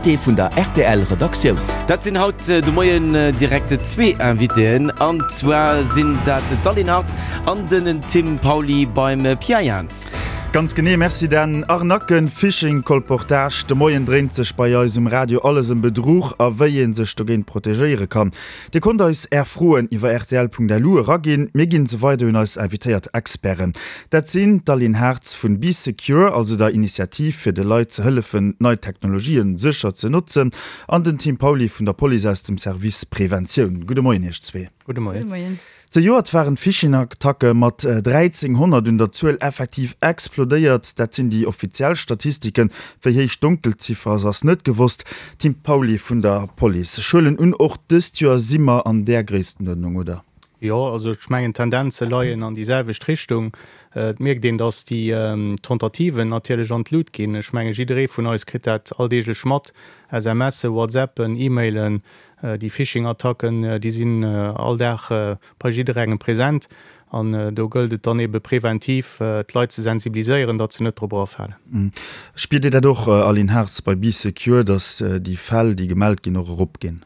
Invité vun der rtl Redaktioun. Dat sinn haut de Moien direkt zwee Invitéen, an zwar sinn dat d'Aline Hartz an den Tim Pauly beim Pia Jans. Ganz genee, Merci Dan. Arnaquen, Phishing, Colportage, de Moien dréint sech bei eis um Radio alles ëm Bedruch a wéi ee sech dogéint protegéiere kann. Dir konnt eis Är Froen iwwer rtl.lu eraginn, mir ginn se weider un eis invitéiert Experten. Dat sinn d'Aline Hartz vun Bee Secure, also der Initiativ fir de Leit ze hëllefen nei Technologien sécher ze notzen, an den Tim Pauly vun der Police aus dem Service Preventioun. Gudde Moien Iech zwee. Gudde Moien. Zejoert waren d'Phishing-Attacke mat 1.300 un der Zuel effektiv explodéiert. Dat sinn déi offiziell Statistiken. Wéi héich d'Donkelziffer ass, ass net gewosst. Tim Pauly vun der Police, Ech huelen un, och dëst Joer si mer an där Gréisstenuerdnung, oder? Jo, also ech mengen d'Tendenze leien an déi selwecht Richtung. Et mierkt een, datt déi Tentativen natierlech an d'Lut ginn. Ech menge jidderee vun eis kritt dat alldeeglech mat, SMSen, WhatsAppen, E-Mailen, déi Phishing-Attacken, déi sinn all Dag bei jidderengem present. An do gëllt et dann ebe preventiv d'Leit ze sensibiliséieren, datt se net drop erafalen. Spiert Dir dat och, Aline Hartz, bei Bee Secure, datt déi Fäll, déi gemellt ginn, och eropginn?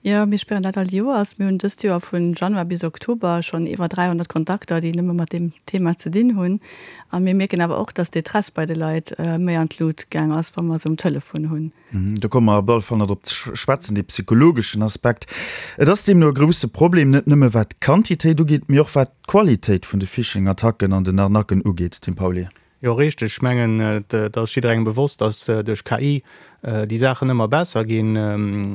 Jo, mir spieren dat all Joers. Mir hunn dëst Joer vun Januar bis Oktober schonn iwwer 300 Kontakter, déi nëmme mat deem Thema ze dinn hunn. A mir mierken awer och, dass d'Détresse bei de Leit méi an d'Lut gaang ass, wa mer se um Telefon hunn. Do komme mer op alle Fall nach drop ze schwätzen, dee psychologeschen Aspekt. Et ass deemno e grousse Problem, net nëmme wat d'Quantitéit ugeet, mee och wat d'Qualitéit vun de Phishing-Attacken an den Arnaquen ugeet, Tim Pauly. Jo, richteg. Ech mengen, et ass jidderengem bewosst, dass duerch KI déi Saachen ëmmer besser ginn.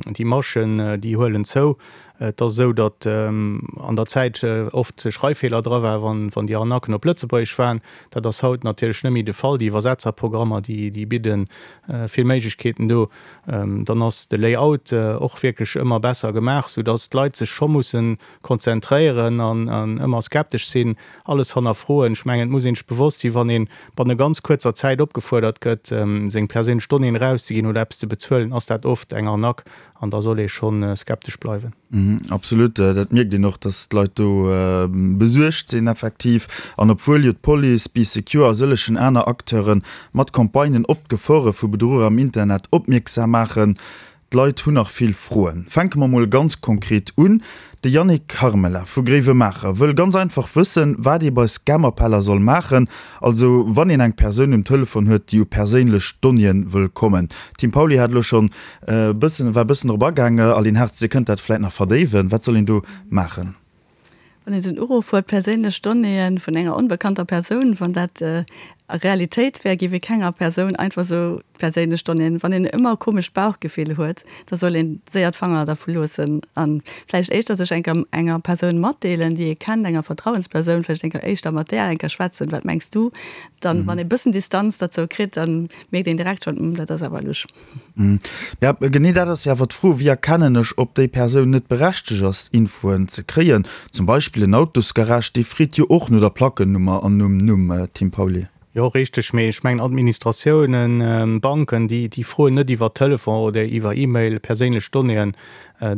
Déi Maschen, déi huelen zou. Et ass esou, datt an der Zäit oft Schreiffeeler dra waren, wann déi Arnaquen op Lëtzebuergesch waren. Dat ass haut natierlech net méi de Fall. Déi Iwwersetzerprogrammer, déi bidde vill Méiglechkeeten do. Dann ass de Layout och wierklech ëmmer besser gemaach, soudatt d'Leit sech scho mussen konzentréieren an ëmmer skeptesch sinn, alles hannerfroen. Ech mengen, et muss een sech bewosst sinn, wann ee banne ganz kuerzer Zäit opgefuerdert gëtt, seng perséinlech Donnéeën erauszeginn oder eppes ze bezuelen, ass dat oft eng Arnaque an da soll ee scho skeptesch bleiwen. Absolut, dat mierkt een och, datt d'Leit do besuergt sinn effektiv. An obwuel jo d'Police, Bee Secure a sëllegen aner Acteure mat Campagnen op d'Gefore vu Bedruch am Internet opmierksam maachen, D'Leit hunn nach vill Froen. Fänke mer mol ganz konkret un. De Yannick Carmela vu Gréiwemaacher wëll ganz einfach wëssen, wat ee bei Scam-Appeller soll maachen, also wann een eng Persoun um Telefon huet, déi u perséinlech Donnéeën wëll kommen. D'Tim Pauly hat elo schonn e bëssen, war e bëssen drop agaang. Aline Hartz, Dir kënnt dat vläit nach verdéiwen. Wat soll een do maachen? Wann een den Uruff huet, perséinlech Donnéeë vun enger onbekannter Persoun, wann dat Realitéit wär, géif ee kenger Persoun einfach esou perséinlech Donnéeën. Wann een ëmmer e komescht Bauchgefill huet, da soll een séier d'Fanger dervu loossen a vläicht éischter sech enker enger Persoun matdeelen, déi ee kennt, enger Vertrauenspersoun, vläicht enker éischter mat där enker schwätzen, Wat mengs du? Dann, wann ee bëssen Distanz derzou kritt, da mierkt een direkt schonn, Hm, dat ass awer lusch. Ja, genee dat ass jo awer d'Fro, Wéi erkennen ech, ob déi Persoun net berechtegt ass, Infoen ze kréien? Zum Beispill en Autosgarage, dee freet jo och no der Plackennummer an nom Numm, Tim Pauly. Jo, richteg, mee ech mengen, Administratiounen, Banken, déi, déi froen net iwwer Telefon oder iwwer E-Mail perséinlech Donnéeën.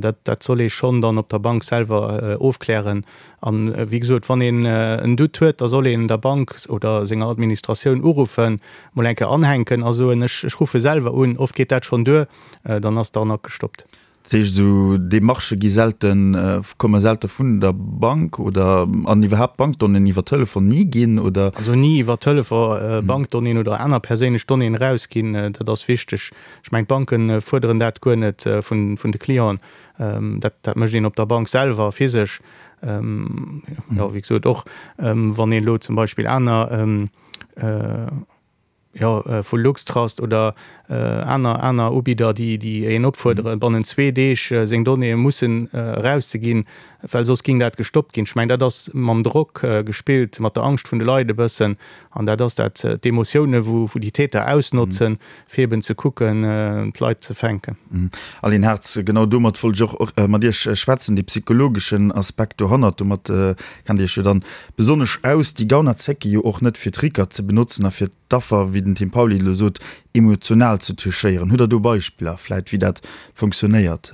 Dat, dat soll ee schonn dann op der Bank selwer ofklären. An, wéi gesot, wann een en Doute huet, da soll een der Bank oder senger Administratioun uruffen, mol eng Kéier anhänken a soen, ech ech ruffe selwer un. Oft geet dat schonn duer, dann ass d'Arnaque gestoppt. Dat heescht, esou Demarchë gi selten, komme selte vun der Bank oder an iwwerhaapt Bankdonnéeën iwwer Telefon ni ginn, oder? Also ni iwwer Telefon Bankdonnéeën oder aner perséinlech Donnéeën erausginn, dat ass wichteg. Ech mengen, d'Banke fuerderen dat guer net vun de Clienten. Dat dat mécht een op der Bank selwer physesch. Jo, wéi gesot, och wann een elo zum Beispill aner, jo, vu LuxTrust oder aner aner Ubidder, déi déi een opfuerderen, bannent zwee Deeg seng Donnéeë mussen erauszeginn, well soss géing dat gestoppt ginn. Ech mengen, dat ass mam Drock gespillt, mat der Angscht vun de Leit e bëssen. An dat ass dat, d'Emotiounen, wou wou déi Täter ausnotzen, fir eben ze kucken, d'Leit ze fänken. Aline Hartz, genau domat wollt ech och mat Iech schwätzen, dee psychologeschen Aspekt dohannert. Domat kennt Dir Iech jo dann besonnesch aus. Déi Gauner zécke jo och net, fir Tricker ze benotzen a fir d'Affer, wéi den Tim Pauly elo sot, emotional ze touchéieren. Hutt Der do Beispiller vläit, wéi dat funktionéiert?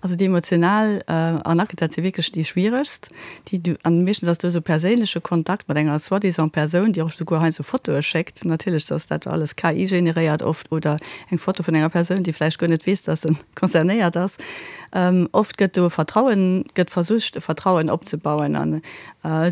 Also déi emotional Arnaque, dat si wierklech déi schwieregst. Déi du, an meeschtens ass do esou perséinleche Kontakt mat enger soi-disant Persoun, déi och souguer heiansdo Fotoe schéckt. Natierlech ass dat alles KI-generéiert oft oder eng Foto vun enger Persoun, déi vläicht guer net weess, dass se concernéiert ass. Oft gëtt do e Vertrauen, gëtt versicht e Vertrauen opzebauen an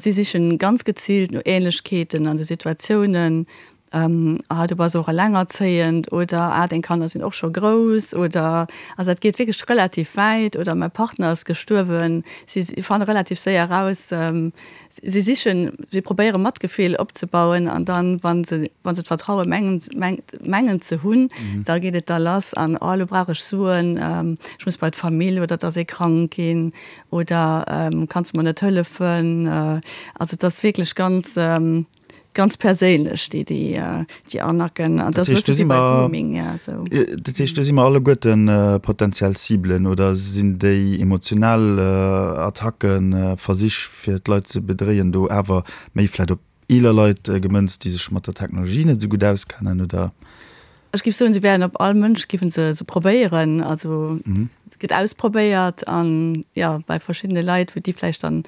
si sichen ganz geziilt no Ähnlechkeeten an de Situatiounen, Ah, du bass och elengerzéiend oder Ah, deng Kanner sinn och scho grouss oder also dat geet wierklech relativ wäit oder Mäi Partner ass gestuerwen. Si fanne relativ séier eraus, si sichen, si probéiere Matgefill opzebauen an dann, wa se, wa se d'Vertraue mengen, mengen ze hunn, da geet et da lass an Oh, elo brauch ech Suen, ech muss bei d'Famill oder et ass ee krank ginn oder Kanns de mer net hëllefen? Also et ass wierklech ganz. Ganz perséinlech déi déi Arnaquen an dat heescht do si mer dat heescht do si mer alleguerte potentiell Ciblen oder sinn déi emotional Attacken, Versich fir d'Leit ze bedréien do awer méi vläit op eeler Leit gemënzt, déi sech mat der Technologie net esou gutt auskennen oder? Ech géif soen, se wären op all Mënsch géife se se probéieren. Also et gëtt ausprobéiert an jo bei verschiddene Leit, wou déi vläicht dann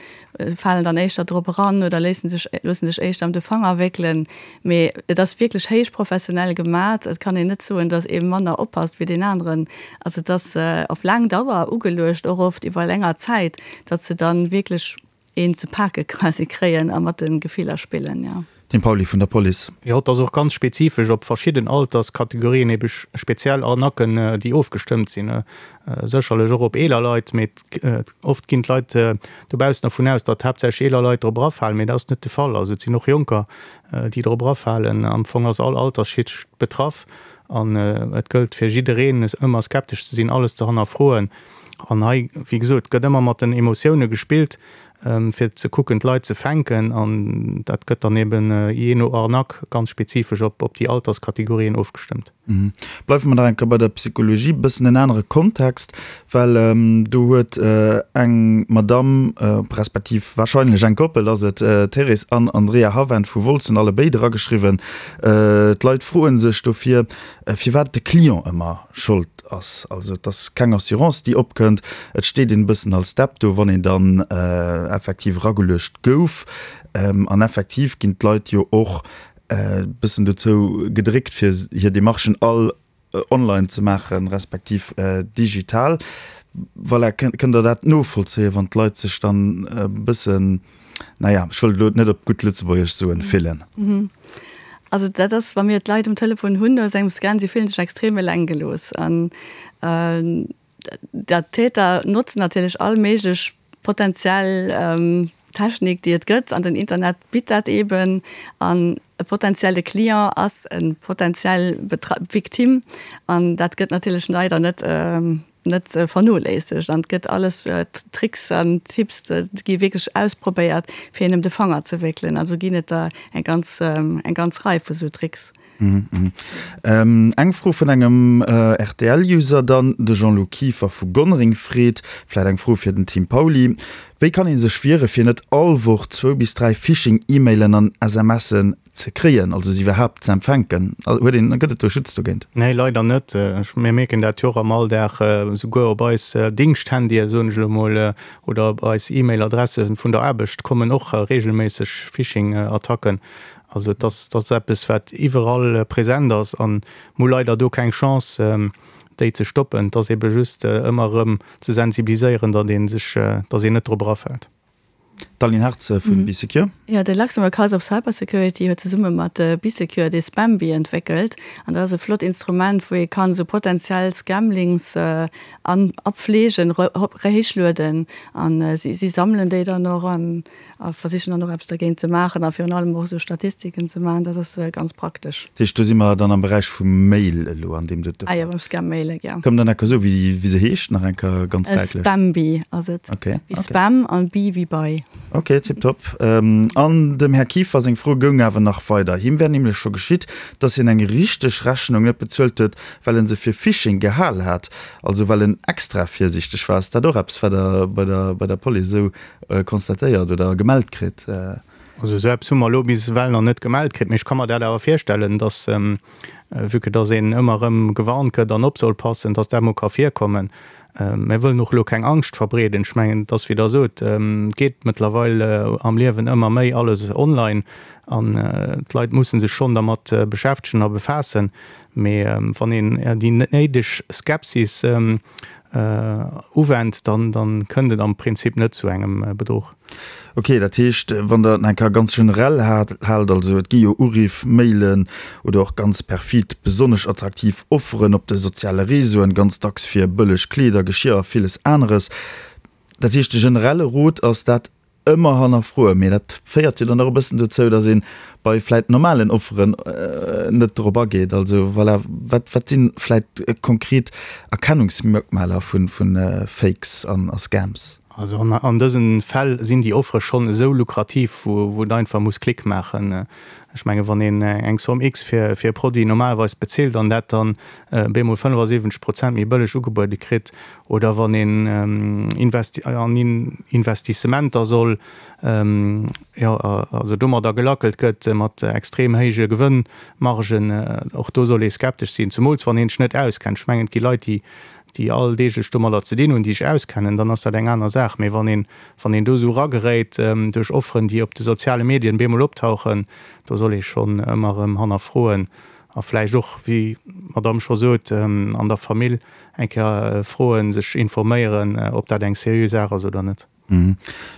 falen dann éischter drop eran oder léissen sech loosse sech éischter ëm de Fanger wéckelen. Mee et ass wierklech héich professionell gemat. Et kann een net soen, datt ee manner oppasst wéi deen aneren. Also et ass op laang Dauer ugeluecht, och oft iwwer länger Zäit, datt se dann wierklech een ze pake quasi kréien a mat de Gefiller spillen, jo. Tim Pauly vun der Police. Jo, et ass och ganz spezifesch op verschidden Alterskategorien ebe speziell Arnaquen, déi ofgestëmmt sinn. Sécherlech och op eeler Leit, mee oft ginn d'Leit dobaussen dervun aus, datt haaptsächlech eeler Leit drop erafalen, mee dat ass net de Fall. Also et sinn och Jonker, déi drop erafalen. Am Fong ass all Altersschicht betraff an et gëllt fir jiddereen, ëmmer skeptesch ze sinn, alles ze hannerfroen. An hei, wéi gesot, gëtt ëmmer mat den Emotioune gespillt, fir ze kucken, d'Leit ze fänken. An dat gëtt dann eben jee no Arnaque ganz spezifesch op déi Alterskategorien ofgestëmmt. Bleiwe mer nach eng Kéier bei der Psychologie, e bëssen en anere Kontext, well do huet eng Madamm, respektiv warscheinlech eng Koppel ass et, Thérèse an Andrea Havent vu Wolz, hunn allebéid erageschriwwen, d'Leit froe sech dofir, firwat de Client ëmmer Schold ass. Also et ass keng Assurance déi opkënnt, et steet een e bëssen als Depp do, wann een dann effektiv erageluecht gouf. An effektiv ginn d'Leit jo och e bëssen dozou gedréckt fir hir Demarchen all online ze maachen, respektiv digital. Voilà, kënnt Der dat novollzéien, wann d'Leit sech dann e bëssen, naja, ech wëll et elo net op gutt Lëtzebuergesch soen, fillen? Also dat ass, wa mir d'Leit um Telefon hunn no esou engem Scan, si fillen sech extrem eleng gelooss. An dat d'Täter notzen natierlech all méiglech potentiell Technik, déi et gëtt, an den Internet bitt dat eeben. An e potentielle Client ass e potentiell Victime an dat gëtt natierlech leider net net vernoléissegt an et gëtt alles Tricks an Tipps gi wierklech ausprobéiert fir een ëm de Fanger ze wéckelen. Also ginn et der eng ganz eng ganz Rei vu sou Tricks. Eng Fro vun engem RTL-User dann, de Jean-Lou Kieffer vu Gonnereng freet, vläit eng Fro fir den Tim Pauly, Wéi kann ee sech wiere fir net all Woch zwou bis 3 Phishing-E-Mailen an SMSen ze kréien, also se iwwerhaapt ze empfänken? Huet een, gëtt et do Schutz dogéint? Nee, leider net. Mir mierken dat jo och am Alldag, souguer op eis Dingschthandye, soen ech elo mol, oder op eis E-Mail-Adresse vun der Aarbecht kommen och reegelméisseg Phishing-Attacken. Also et ass, dat ass eppes, wat iwwerall present ass a mir hu leider do keng Chance, déi ze stoppen. Et ass ebe just ëmmer erëm ze sensibiliséieren, datt ee sech, datt een net drop erafält. D'Aline Hartz vu Bee Secure. Jo, de Luxembourg House of Cybersecurity huet zesumme mat Bee Secure dee Spambee entwéckelt. An dat ass e flott Instrument, wou ee kann esou potentiell Scamlinks an apfleegen, héichlueden. An si sammelen déi dann och an a versichen dann och eppes dergéint ze maachen a virun allem och esou Statistiken ze maachen. Dat ass ganz praktesch. Dat heescht, do si mer dann am Beräich vum Mail elo an deem dote Fall? Ah jo, beim Scam-Mailen, jo. Kënnt Der nach soen, wéi se heescht, nach eng Kéier ganz däitlech? Spambee ass et. Okay. Wéi Spam an Bee wéi bei. Okay, tiptop. An dem Här Kieffer seng Fro goung awer nach weider. Him wär nämlech scho geschitt, dass hien eng richteg Rechnung net bezuelt huet, well en se fir Phishing gehal hat, also well en extra virsiichteg war. Ass dat och eppes, wat Der bei der Police esou constatéiert oder gemellt kritt? Also esou eppes hu mer elo bis ewell nach net gemellt kritt, mee ech ka mer dat awer virstellen, dass, vue que dass een ëmmer erëm gewarnt gëtt an op soll passen, dass dat mol ka virkommen. Mir wëllen och elo keng Angscht verbreeden. Ech mengen, et ass wéi Der sot, et geet mëttlerweil am Liewen ëmmer méi alles online an d'Leit musse sech schonn dermat beschäftegen a befaassen. Mee wann een déi néideg Skepsis uwennt, dann kënnt et am Prinzip net zu engem Bedruch. Ok, dat heescht, wann Der et nach eng Kéier ganz generell haalt, also et gi jo Uriff, Mailen oder och ganz perfid, besonnesch attraktiv Offeren op de soziale Réseauen, ganz dacks fir bëlleg Kleeder, Geschirr a villes aneres. Dat heescht, de generelle Rot ass, dat ëmmer hannerfroen. Mee dat féiert jo dann och e bëssen dozou, datt ee bei vläit normalen Offeren net drop ageet. Also voilà, wat, wat si vläit konkret Erkennungsmerkmaler vu Fakes a Scams? Also an dësen Fäll sinn déi Offere schonn esou lukrativ, wou et einfach muss Klick maachen. Ech menge wann een eng Somme X fir e Produit normalerweis bezilt an dat dann bemol 75 Prozent méi bëlleg ugebuede kritt, oder wann een an Investissementer soll, jo also domadder gelackelt gëtt mat extrem héije Gewënnmargen, och do soll ee skeptesch sinn, zemools wann een sech net auskennt. Ech mengen et gi Leit, déi déi alldeeglech domadder ze dinn hunn, déi sech auskennen, dann ass dat eng aner Saach. Mee wann een, wann een do esou erageréit duerch Offeren, déi op de soziale Medien bemol optauchen, do soll ee schonn ëmmer erëm hannerfroen a vläicht och, wéi d'Madamm scho sot, an der Famill eng Kéier froen, sech informéieren, ob dat eng seriö Saach ass oder net.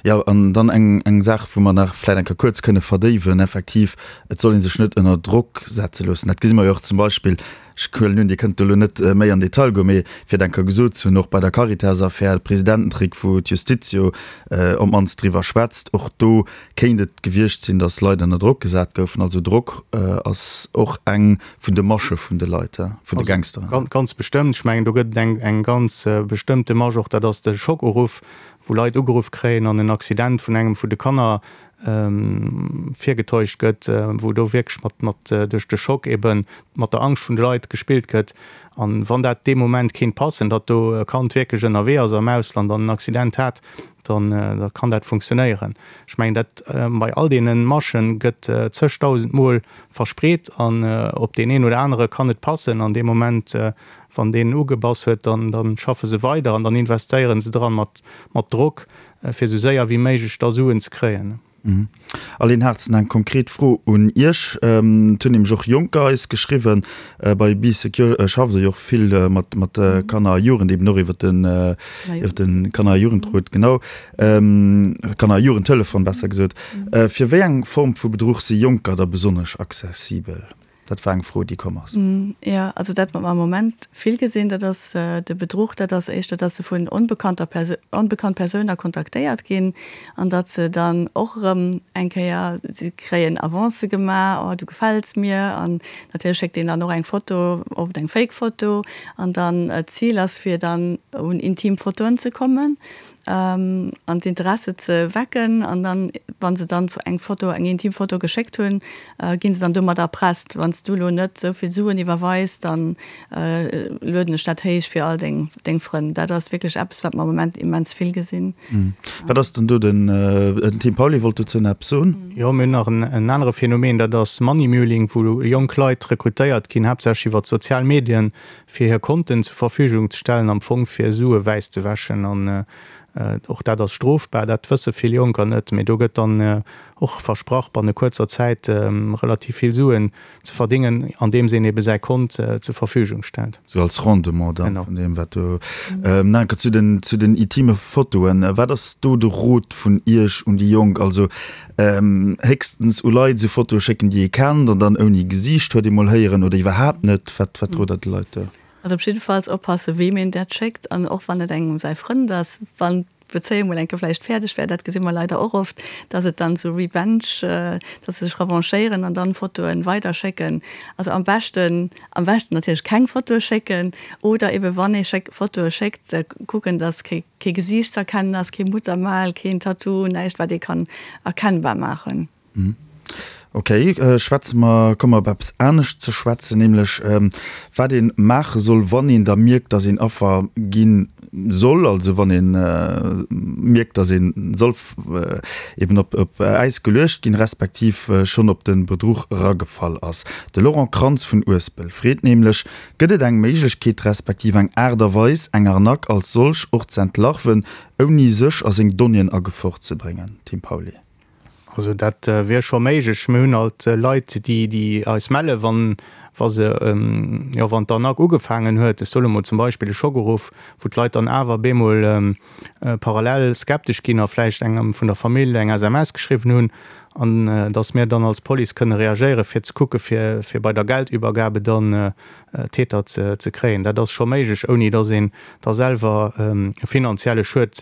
Jo, an dann eng, eng Saach, wou mer nach vläicht eng Kéier kuerz kënne verdéiwen, effektiv, et soll ee sech net ënner Drock setze loossen. Dat gesi mer jo och zum Beispill, ech huelen un, Dir kënnt do elo net méi an Detail goen, mee fir et eng Kéier gesot ze hunn, och bei der Caritas-Affär, de Presidententrick, wou d'Justiz jo op d'mannst driwwer schwätzt, och do kéint et gewiescht sinn, datt Leit ënner Drock gesat goufen. Also Drock ass och eng vun de Masche vun de Leit, vun de Gangsteren. Ganz bestëmmt. Ech mengen, do gëtt et eng, eng ganz bestëmmte Masch och, dat ass de Schockuruff, wou Leit ugeruff kréien an en Accident vun engem vun de Kanner virgetäuscht gëtt, wou do wierklech mat, mat duerch de Schock eben mat der Angscht vun de Leit gespillt gëtt. An wann dat dee Moment kéint passen, datt do e Kand wierklech ënnerwee ass am Ausland an en Accident hat, dann da kann dat funktionéieren. Ech mengen dat bei all deene Maschen gëtt zegdausend Mol verspreet an op deen een oder anere kann et passen an dee Moment Wann deen ugebass huet, dann dann schaffe se weider an dann investéieren se dran mat mat Drock, fir esou séier wéi méiglech da Suen ze kréien. Aline Harzen, eng konkret Fro un Iech. Et hunn nämlech och Jonker eis geschriwwen. Bei Bee Secure schafft Der jo och vill mat mat Kanner a Jugend, eben och iwwer den iwwer de Kanner a Jugendrot, genau, Kanner a Jugendtelefon besser gesot. Fir wéi eng Form vu Bedruch si Jonker da besonnesch accessibel? Dat war eng Fro, déi komm ass. Jo, also dat, wat mer am Moment vill gesinn, dat ass de Bedruch, dat ass éischter, datt se vun onbekannter Perso-, onbekannt Persouner kontaktéiert ginn an datt se dann och erëm eng Kéier, si kréien Avancë gemaach, oh du gefäls mir an natierlech schéckt een dann och eng Foto, oft eng Fake Foto an dann d'Zil ass fir dann un intim Fotoen ze kommen. an d'Interesse ze wecken an dann, wa se dann eng Foto, eng intim Foto geschéckt hunn, gi se dann domat erpresst, Wann s du elo net esou vill Suen iwwerweis, dann lueden ech dat héich fir all deng deng Frënn. Dat ass wierklech eppes, wat mer am Moment immens vill gesinn. Wat ass denn do den, den Tim Pauly wollt dozou nach eppes soen. Jo, mir hunn nach en anere Phänomen, dat ass Money Muling, wou jonk Leit rekrutéiert ginn, haaptsächlech iwwer d'sozial Medien, fir hir Konten zur Verfügung ze stellen, am Fong fir Sue wäiss ze wäschen. An och dat ass strofbar, dat wësse vill Jonker net, mee do gëtt dann och versprach, banne kuerzer Zäit relativ vill Suen ze verdingen, andeems een ebe säi Kont zur Verfügung stellt. Sou als Rendement dann vun deem, wat do. Nach eng Kéier zu den, zu den intime Fotoen. Wat ass do de Rot vun Iech un déi Jonk? Also héchstens u Leit esou Fotoe schécken, déi ee kennt an dann ouni Gesiicht, huet ee mol héieren, oder iwwerhaapt net. Wat, wat rot Der de Leit do? Also op jiddefalls oppasse weem een dat schéckt an och wann et engem säi Frënd ass, wann d'Bezéiung mol eng Kéier vläicht fäerdeg wär, dat gesi mer leider och oft, dass et dann zu Revenge, dass se sech revanchéieren an dann Fotoen weider schécken. Also am beschten, am beschten natierlech keng Fotoe schécken oder ebe wann ee schéck, Fotoe schéckt, kucken, dass kee. Kee Gesiicht ze erkennen ass, kee Muttermal, keen Tattoo, näischt wat ee kann erkennbar maachen. Ok, schwätze mer, komme mer op eppes anescht ze schwätzen, nämlech wat ee maache soll, wann een da mierkt, dass een Affer ginn. soll, also wann ee mierkt, datt ee soll eben op Äis geluecht ginn, respektiv schonn op de Bedruch eragefall ass. De Laurent Krantz vun Uespel freet nämlech, Gëtt et eng Méiglechkeet, respektiv eng Aart a Weis, eng Arnaque als solch och z'entlarven, ouni sech a seng Donnéeën a Gefor ze bréngen? Tim Pauly. Also dat wier scho méiglech. Mir hunn alt Leit, déi déi eis mellen, wann wa se, jo, wann d'Arnaque ugefaangen huet. Ech soe mol zum Beispill e Schockeruff, wou d'Leit dann awer bemol parallel skeptesch ginn a vläicht engem vun der Famill eng SMS geschriwwen hunn, an datt mir dann als Police kënne reagéieren, fir ze kucke fir fir bei der Geldübergabe dann d'Täter ze ze kréien. Dat ass scho méiglech, ouni datt een da selwer e finanzielle Schued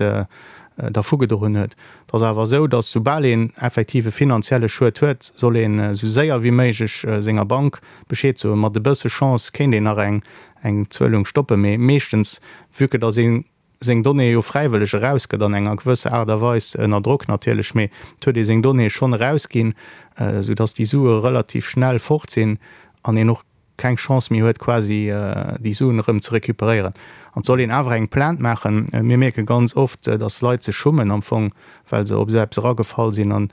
dervugedroen huet. Et ass awer esou, datt soubal een effektiv e finanzielle Schued huet, soll een esou séier wéi méiglech senger Bank Bescheed soen. Mat e bësse Chance kéint een nach eng eng Zuelung stoppen, mee meeschtens, vue que datt ee seng Donnéeë jo fräiwëlleg erausgëtt, an enger gewësser Aart a Weis, ënner Drock natierlech, mee et huet ee seng Donnéeë schonn erausginn, esou datt déi Sue relativ schnell fort sinn an een och keng Chance méi huet quasi déi Suen erëm ze recuperéieren. An et soll een awer eng Plainte maachen. Mir mierke ganz oft, dass Leit sech schummen am Fong, well se op esou eppes eragefall sinn. An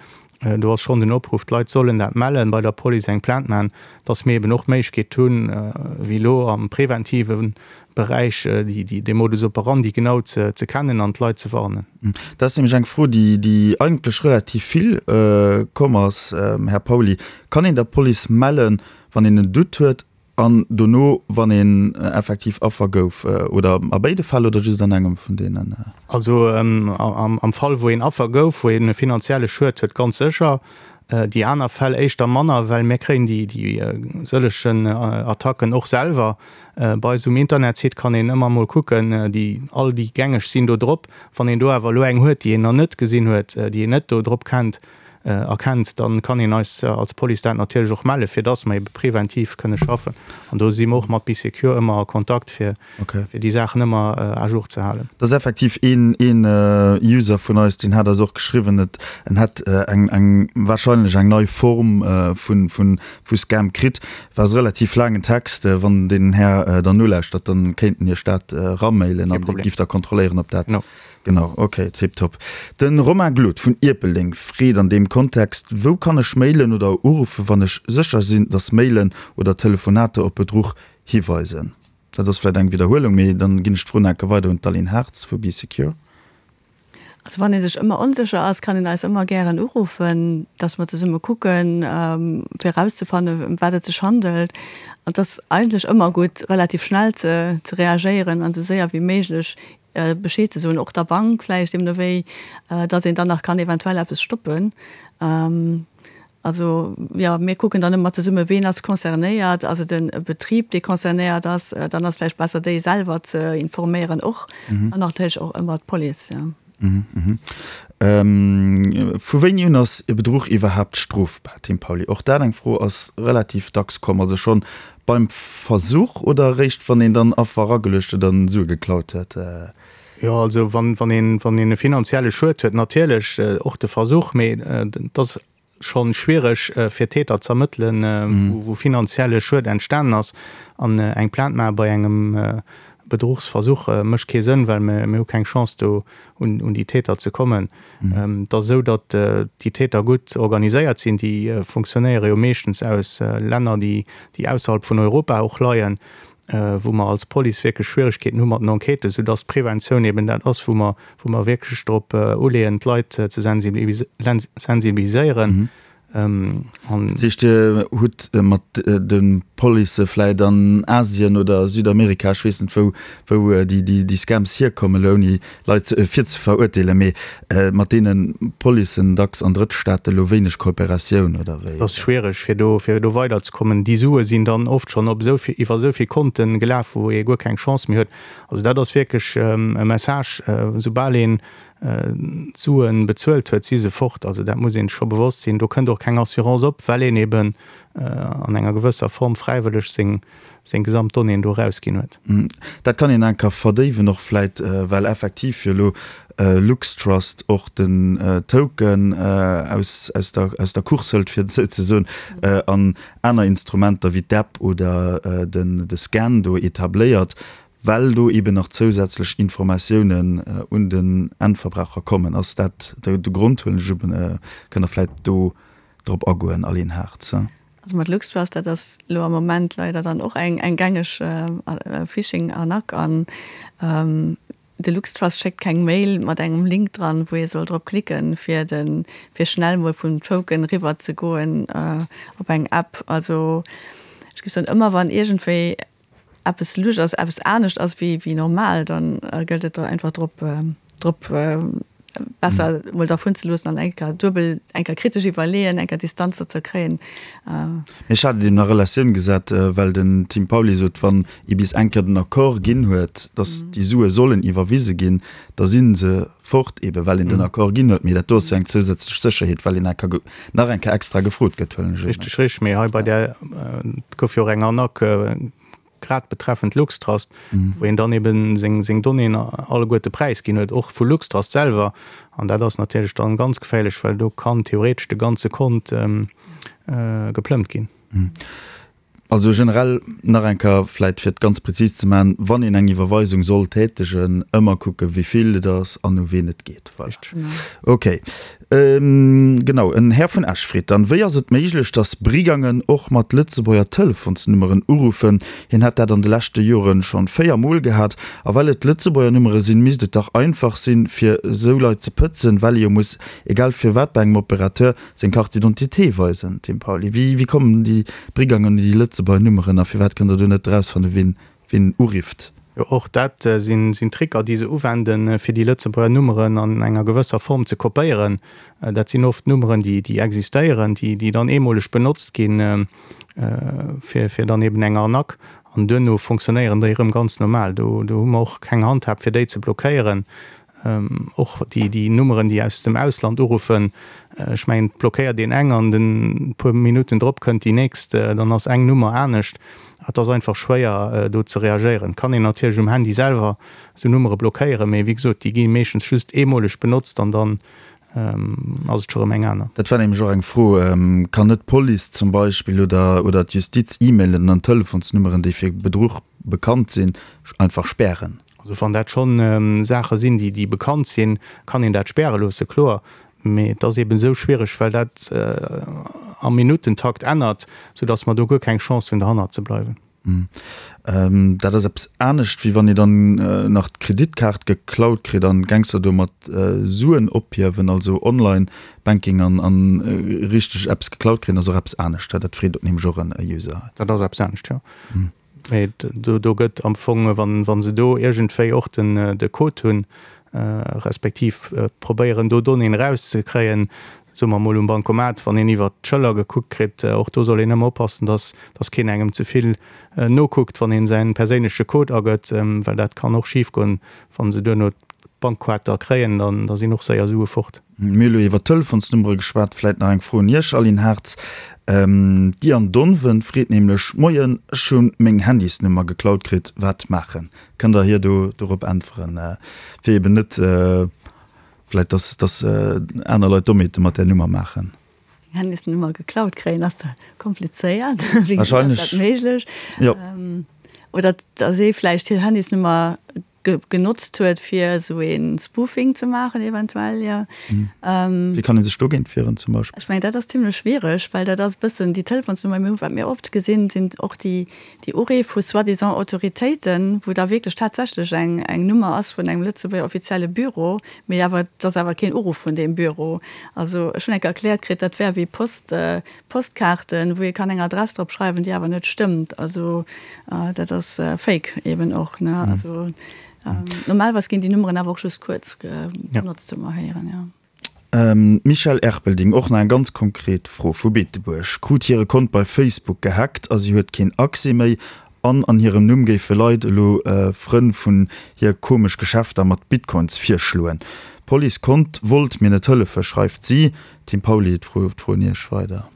do ass schonn den Opruff, d'Leit sollen dat mellen, bei der Police eng Plainte maachen, dass mir eben och d'Méiglechkeet hunn, wéi elo am preventive Beräich, déi, dee Modus operandi genau ze kennen an d'Leit ze warnen. Dat ass nämlech eng Fro, déi eigentlech relativ vill komm ass, Här Pauly. Kann een der Police mellen, wann een en Doute huet an dono, wann een effektiv Affer gouf, oder a béide Fäll oder just an engem vun deenen? Also am Fall, wou een Affer gouf, wou een e finanzielle Schued huet, ganz sécher. Déi aner Fäll éischter manner, well mir kréien déi sëllegen Attacken och selwer. Bei eis um Internetsite kann een ëmmer mol kucken, déi all déi gängeg sinn do drop. Wann een do awer elo eng huet, déi een nach net gesinn huet, déi een net do drop kennt, erkennt, dann kann een eis als Police dat natierlech och mellen, fir dass mer ebe preventiv kënne schaffen. An do si mer och mat Bee Secure ëmmer a Kontakt, fir fir déi Saachen ëmmer à jour ze halen. Dat ass effektiv een een User vun eis, deen hat eis och geschriwwen, et en hätt eng eng wahrscheinlech eng nei Form vun vun vu Scam kritt. War e relativ laangen Text. Wann deen Här dann nolauschtert, dann kéint en Iech dat eramailen an Dir giff da kontrolléieren, ob dat. Genau, ok, tiptop. De Romain Glod vun Ierpeldeng freet an deem Kontext, Wou kann ech mailen oder uruffen, wann ech sécher sinn, dass Mailen oder Telefonater op Bedruch hiweisen? Dat ass vläit eng Widderhuelung, mee dann ginn ech d'Fro nach eng Kéier weider un d'Aline Hartz vu Bee Secure. Also wann ee sech ëmmer onsécher ass, kann een eis ëmmer gären uruffen, dass mer zesumme kucken, fir erauszefannen, ëm wat et sech handelt. An et ass eigentlech ëmmer gutt, relativ schnell ze reagéieren an esou séier wéi méiglech Bescheed ze soen, och der Bank vläicht deemno wéi, datt een dann nach kann eventuell eppes stoppen. Also, jo, mir kucken dann ëmmer zesumme ween ass concernéiert, ass et e Betrib, dee concernéiert ass, dann ass vläicht besser déi selwer ze informéieren och an natierlech och ëmmer d'Police, jo. Vu wéini un ass e Bedruch iwwerhaapt strofbar, Tim Pauly? Och dat eng Fro ass relativ dacks komm. Also schonn Beim Versuch oder eréischt wann een dann Affer erageluecht huet an Sue geklaut huet? Jo, also wann wann een wann een e finanzielle Schued huet, natierlech och de Versuch, mee et ass scho schwiereg fir Täter z'ermëttelen, wou wou finanzielle Schued entstanen ass. An eng Plainte maache bei engem Bedruchsversuch mécht kee Sënn, well mir mir hu keng Chance do un un déi Täter ze kommen. Et ass esou, datt déi Täter gutt organiséiert sinn. Déi funktionéiere jo meeschtens aus Länner, déi ausserhalb vun Europa och leien, wou mer als Police wierklech Schwieregkeeten hu mat den Enquêten, soudatt d'Preventioun eben dat ass, wou mer, wou mer wierklech drop uleeën, d'Leit ze sensibiliséieren. Dat heescht, Dir hutt mat de Policë vläit an Asien oder Südamerika, ech weess net wou, wou déi Scams hierkommen, elo ouni Leit virzeverurteelen, mee mat deene Policen dacks an Drëttstaate elo wéineg Kooperatioun, oder wéi? Et ass schwiereg fir do fir do weiderzekommen. Déi Sue sinn dann oft schonn op esou vill, iwwer esou vill Konte gelaf, wou ee guer keng Chance méi huet. Also dat ass wierklech e Message, soubal een d'Suen bezuelt huet, si se fort. Also dat muss een scho bewosst sinn. Do kënnt och keng Assurance op, well een eben an enger gewësser Form fräiwëlleg seng seng gesamt Donnéeën do erausginn huet. Dat kann een enker verdéiwen och vläit, well effektiv jo elo LuxTrust och den Token aus aus der aus der Course hëlt, fir et esou ze soen, an aner Instrumenter wéi d'App oder den de Scan do etabléiert. Well do eben nach zousätzlech Informatiounen un den Endverbraucher kommen. Ass dat de Grond, huelen ech un? Kënnt Der vläicht do drop agoen, Aline Hartz? Also mat LuxTrust, dat ass elo am Moment leider dann och eng gängeg Phishing-Arnaque. An de LuxTrust schéckt keng Mail mat engem Link dran, wou ee soll drop klicken, fir de fir schnell mol vum Token riwwer ze goen op eng App. Also ech géif soen, ëmmer wann iergendwéi eppes lusch ass, eppes anescht ass wéi wéi normal, dann gëllt et da einfach drop drop besser mol dervun ze loossen an eng Kéier duebel, eng Kéier kritesch iwwerleeën, eng Kéier Distanz dozou kréien. Ech hat et eben a Relatioun gesat, well den Tim Pauly sot, wann ee bis eng Kéier den Accord ginn huet, datt déi Sue sollen iwwerwise ginn, da si se fort, ebe well een den Accord ginn huet. Mee dat do ass jo eng zousätzlech Sécherheet, well een nach eng Kéier extra gefrot gëtt, huelen ech un. Richteg, richteg. Mee hei bei där, et gouf jo och eng Arnaque grad betreffend LuxTrust, wou een dann ebe seng, seng Donnéeën alleguerte präisginn huet, och vu LuxTrust selwer. An dat ass natierlech dann ganz geféierlech, well do kann theoretesch de ganze Kont geplëmmt ginn. Also generell nach eng Kéier vläit fir et ganz prezis ze maachen, wann een eng Iwwerweisung soll tätegen, ëmmer kucken, wéi vill et ass an u ween et geet. Voilà. Ok. Genau, en Här vun Esch freet dann, Wéi ass et méiglech, datt Brigangen och mat Lëtzebuerger Telefonsnummeren uruffen? Hien hätt dat an de leschte Joren schonn 4 Mol gehat. A well et Lëtzebuerger Nummere sinn, misst et dach einfach sinn, fir esou Leit ze pëtzen, well ee jo muss, egal firwat, bei engem Opérateur Seng Carte d'identité weisen, Tim Pauly. Wéi, wéi kommen déi Brigangen un déi Lëtzebuerger Nummeren a firwat kënnt Der do net erausfannen, wien, wien urifft? Jo, och dat sinn, sinn Tricker, déi se uwenden, fir déi Lëtzebuerger Nummeren an enger gewësser Form ze kopéieren. Dat sinn oft Nummeren, déi, déi existéieren, déi, déi dann eemoleg benotzt ginn, fir, fir dann eben eng Arnaque. An duerno fonctionnéieren déi erëm ganz normal. Do, do hu mer och keng Handhab, fir déi ze blockéieren. Och déi déi Nummeren, déi aus dem Ausland uruffen, ech mengen, et blockéiert een eng an den puer Minutten drop kënnt déi nächst, dann ass eng Nummer anescht. Et ass einfach schwéier do ze reagéieren. Et kann een natierlech um Handy selwer esou Nummere blockéieren, mee wéi gesot, déi gi meeschtens just eemoleg benotzt an dann ass et scho rëm eng aner. Dat war nämlech och eng Fro, Kann net d'Police zum Beispill oder oder d'Justiz E-Mailen an Telefonsnummeren, déi fir Bedruch bekannt sinn, einfach spären? Also wann dat schonn Saache sinn, déi déi bekannt sinn, kann een dat späre loosse, kloer. Mee et ass eeben esou schwiereg, well dat am Minuttentakt ännert, soudass mer do guer keng Chance hunn, derhannert ze bleiwen. Dat ass eppes anescht, wéi wann ee dann nach d'Kreditkaart geklaut kritt an Gangster domat Suen ophiewen. Also Online-Banking an an richteg eppes geklaut kréien ass och eppes anescht. Dat freet nämlech och en User. Dat ass eppes anescht, jo. Mee do, do gëtt am Fong, wann, wa se do iergendwéi och den, de Code hunn, respektiv probéieren do Donnéeën erauszekréien, soe mer emol um Bancomat, wann een iwwert d'Schëller gekuckt kritt, och do soll een ëmmer oppassen, dass, dass keen engem ze vill nokuckt, wann een säin perséinleche Code agëtt, well dat kann och schifgoen, wa se duerno d'Bankkaart da kréien, dann, da sinn och séier Sue fort. Mir hu lo iwwer Telefonsnummere geschwat. Vläit nach eng Fro un Iech, Aline Hartz. D'Diane Donven freet nämlech, Moien, ech hu meng Handysnummer geklaut kritt, wat maachen? Kënnt Der hir do dorop äntweren, fir eben net vläit, dass dass aner Leit Dommheete mat där Nummer maachen? Eng Handysnummer geklaut kréien ass komplizéiert. Wéi ass dat méiglech? Oder dass ee vläicht hir Handysnummer genotzt huet fir esou ee Spoofing ze maachen eventuell, jo. Wéi kann ee sech dogéint wieren zum Beispill? Ech mengen dat ass zimlech schwiereg, well dat ass e bëssen déi Telefonsnummer, mir hu wat mir oft gesinn, sinn och déi déi Uriff vu soi-disant Autoritéiten, wou da wierklech tatsächlech eng eng Nummer ass vun engem Lëtzebuerger offizielle Büro, mee awer et ass awer keen Uruff vun deem Büro. Also ech hunn eng Kéier erkläert kritt, dat wär wéi Post Postkaarten, wou ee kann eng Adress drop schreiwen, déi awer net stëmmt. Also dat ass Fake eben och, ne? Also normalerweis ginn déi Nummeren awer och just kuerz benotzt, hu mer héieren, jo. D'Michèle Erpelding, och nach eng ganz konkret Fro vu Beetebuerg, krut hire Kont bei Facebook gehackt a si huet keen Accès méi an an hirem Numm géife Leit elo Frënn vun hir komesch Geschäfter mat Bitcoins virschloen. D'Police konnt, wollt mir net hëllefen, schreift si. Tim Pauly, d'Fro d'Fro un Iech weider.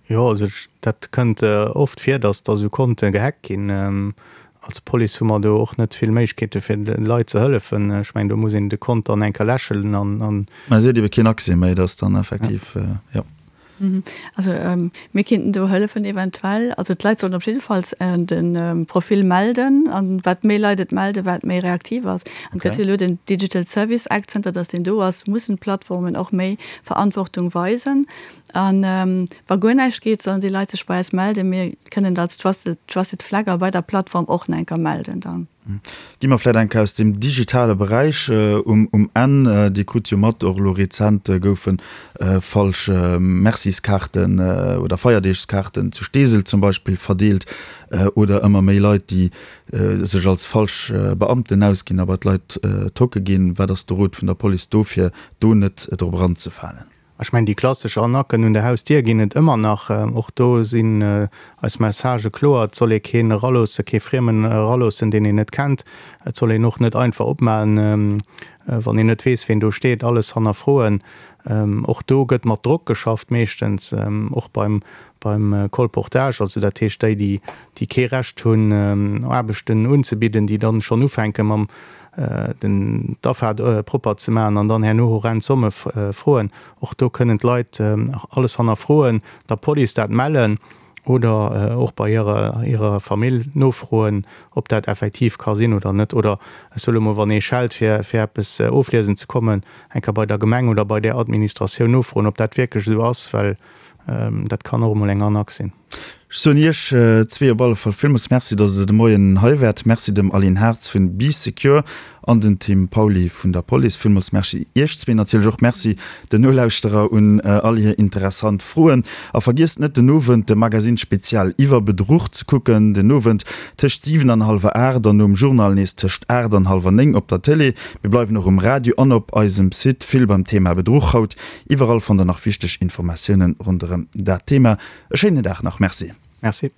Jo, also dat kënnt oft vir, datt da sou Konte gehackt ginn. Als Police hu mer do och net vill Méiglechkeete fir de Leit ze hëllefen. Ech mengen, do muss een de Kont dann eng Kéier läschelen an. Mä si huet ebe keen Accès méi, dat ass dann effektiv, jo. Also mir kinnten do hëllefen eventuell. Also d'Leit sollen op jiddefalls de Profil melden an wat méi Leit et melden, wat méi reaktiv ass. An et gëtt jo elo den Digital Service Act, zënter datt deen do ass, mussen d'Plattformen och méi Verantwortung weisen. An wa guer näischt geet, sollen déi Leit sech bei eis melden. Mir kënnen et als Trusted Flagger bei der Plattform och nach eng Kéier melden dann. Gi mer vläicht eng Kéier aus dem digitale Beräich um Enn. Dir krut jo mat, och elo rezent goufe falsch Merciskaarten oder Feierdeegskaarten zu Steesel zum Beispill verdeelt oder ëmmer méi Leit, déi sech als falsch Beamten ausginn a bei d'Leit tocke ginn. Wat ass de Rot vun der Police do, fir do net drop eranzefalen? Ech mengen, déi klassesch Arnaquen un der Hausdier ginn et ëmmer nach. Och do sinn eis Messagë kloer, Et soll ee keen eraloossen, kee Friemen eraloossen, deen een net kennt. Et soll een och net einfach opmaen, wann een net weess, ween do steet. Alles hannerfroen. Och do gëtt mat Drock geschafft meeschtens, och beim beim Colportage. Also dat heescht, déi, déi kee Recht hunn, Aarbechten unzebidden, déi dann schonn ufänke mam den d'Afaart propper ze maachen an dann herno horrend Somme froen. Och do kënnen d'Leit alles hannerfroen, der Police dat mellen oder och bei hirer hirer Famill nofroen, ob dat effektiv ka sinn oder net. Oder ech soe lo mol, wann ee schellt fir fir eppes ofliesen ze kommen, eng Kéier bei der Gemeng oder bei där Administratioun nofroen, ob dat wierklech esou ass, well dat kann och emol eng Arnaque sinn. Ech soen Iech zwee op alle Fall villmools Merci, dass Der de Moien hei waart. Merci dem Aline Hartz vun Bee Secure an den Tim Pauly vun der Police. Villmools Merci Iech zwee. Natierlech och Merci den Nolauschterer un all hir interessant Froen. A vergiesst net, den Owend de Magazine Spezial iwwer Bedruch ze kucken. Den Owend tëscht 7 an hallwer 8 an nom Journal nees tëscht 8 an hallwer 9 op der Tëlee. Mir bleiwen och um Radio an op eisem Site. Vill beim Thema Bedruch haut. Iwwerall fannt der nach wichteg Informatiounen ronderëm dat Thema. E schéinen Dag nach, merci. Merci.